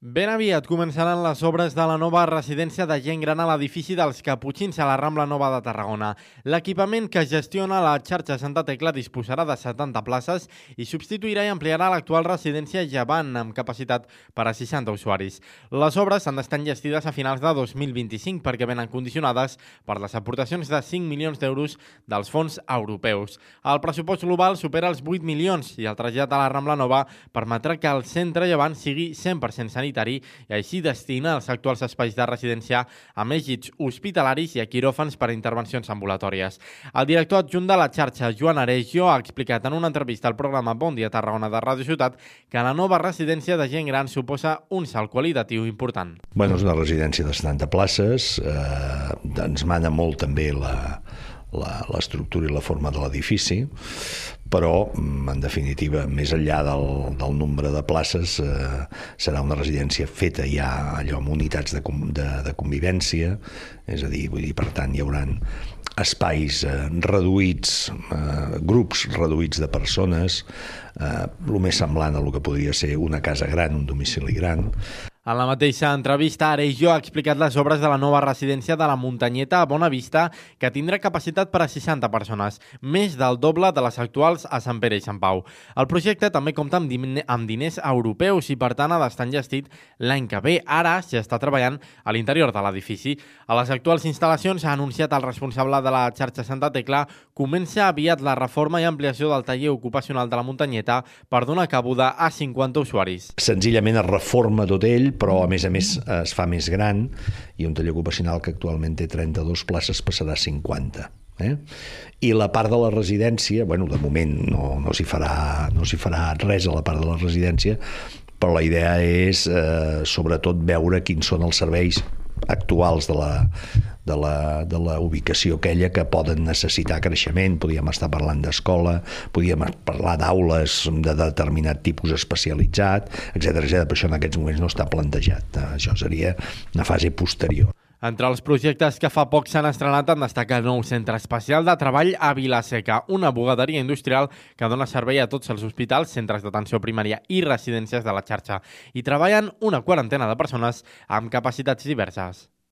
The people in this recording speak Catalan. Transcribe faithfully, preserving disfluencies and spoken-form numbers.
Ben aviat començaran les obres de la nova residència de gent gran a l'edifici dels Caputxins a la Rambla Nova de Tarragona. L'equipament que gestiona la xarxa Santa Tecla disposarà de setanta places i substituirà i ampliarà l'actual residència Llevant, amb capacitat per a seixanta usuaris. Les obres han d'estar enllestides a finals de dos mil vint-i-cinc perquè venen condicionades per les aportacions de cinc milions d'euros dels fons europeus. El pressupost global supera els vuit milions i el trasllat a la Rambla Nova permetrà que el centre Llevant sigui cent per cent sanitari i així destina els actuals espais de residència a més llits hospitalaris i a quiròfans per a intervencions ambulatòries. El director adjunt de la xarxa, Joan Aregio, ha explicat en una entrevista al programa Bon Dia Tarragona de Ràdio Ciutat que la nova residència de gent gran suposa un salt qualitatiu important. Bueno, és una residència de setanta places, eh, ens mana molt també la... l'estructura i la forma de l'edifici, però, en definitiva, més enllà del, del nombre de places, eh, serà una residència feta ja allò amb unitats de, de, de convivència, és a dir, vull dir, per tant, hi haurà espais eh, reduïts, eh, grups reduïts de persones, eh, el més semblant a el que podria ser una casa gran, un domicili gran. En la mateixa entrevista, Aregio ha explicat les obres de la nova residència de la Muntanyeta a Bona Vista, que tindrà capacitat per a seixanta persones, més del doble de les actuals a Sant Pere i Sant Pau. El projecte també compta amb, din amb diners europeus i, per tant, ha d'estar enllestit l'any que ve. Ara s'hi està treballant a l'interior de l'edifici. A les actuals instal·lacions, ha anunciat el responsable de la xarxa Santa Tecla, comença aviat la reforma i ampliació del taller ocupacional de la Muntanyeta per donar cabuda a cinquanta usuaris. Senzillament es reforma tot ell, però a més a més es fa més gran i un taller ocupacional que actualment té trenta-dues places passarà a cinquanta. Eh? I la part de la residència, bueno, de moment no, no s'hi farà, no s'hi farà res a la part de la residència, però la idea és eh, sobretot veure quins són els serveis actuals de la, de la, de la ubicació aquella que poden necessitar creixement. Podríem estar parlant d'escola, podríem parlar d'aules de determinat tipus especialitzat, etcètera, etcètera. Per això en aquests moments no està plantejat. Això seria una fase posterior. Entre els projectes que fa poc s'han estrenat en destacar el nou centre especial de treball a Vila-seca, una bugaderia industrial que dona servei a tots els hospitals, centres d'atenció primària i residències de la xarxa. Hi treballen una quarantena de persones amb capacitats diverses.